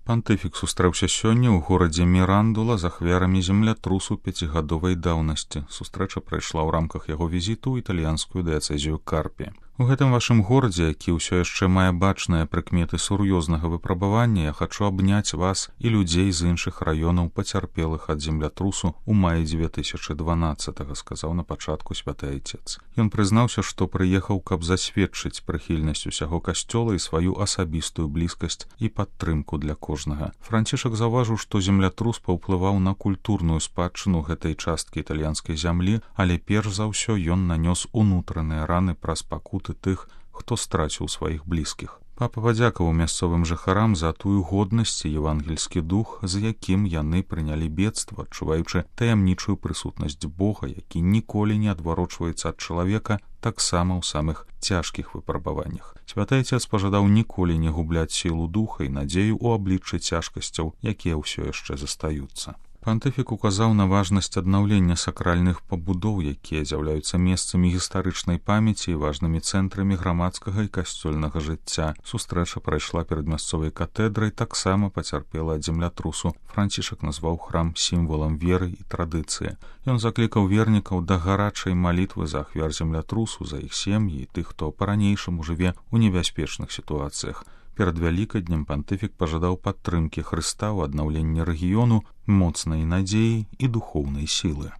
Пантыфік сустрэўся сёння ў горадзе Мірандула з ахвярамі землятрусу 5гадовай даўнасці. Сустрэча прайшла ў рамках яго візіту ў італьянскую дыяцэзію Карпі. У гэтым вашым горадзе, які ўсё яшчэ мае бачныя прыкметы сур'ёзнага выпрабавання, я хачу абняць вас і людзей з іншых раёнаў, пацярпелых ад землятрусу ў маі 2012, сказаў на пачатку святы айцец. Ён прызнаўся, што прыехаў, каб засведчыць прыхільнасць усяго касцёла і сваю асабістую блізкасць і падтрымку для кожнага. Францішак заўважыў, што землятрус паўплываў на культурную спадчыну гэтай часткі італьянскай зямлі, але перш за ўсё ён нанёс унутраныя раны праз пакуты тых, хто страціў сваіх блізкіх. Папа падзякаваў мясцовым жыхарам за тую годнасць і евангельскі дух, з якім яны прынялі бедства, адчуваючы таямнічую прысутнасць Бога, які ніколі не адварочваецца ад чалавека, таксама ў самых цяжкіх выпрабаваннях. Святы айцец пажадаў ніколі не губляць сілу духа і надзею ў абліччы цяжкасцяў, якія ўсё яшчэ застаюцца. Пантыфік указаў на важнасць аднаўлення сакральных пабудоў, якія з'яўляюцца месцамі гістарычнай памяці і важнымі цэнтрамі грамадскага і касцёльнага жыцця. Сустрэча прайшла перад мясцовай катэдрай, таксама пацярпела ад землятрусу. Францішак назваў храм сімвалам веры і традыцыі. Ён заклікаў вернікаў да гарачай малітвы за ахвяр землятрусу, за іх сем'і і тых, хто па-ранейшаму жыве ў небяспечных сітуацыях. Перад Вялікаднем пантыфік пажадаў падтрымкі Хрыста ў аднаўленні рэгіёну, моцнай надзеі і духоўнай сілы.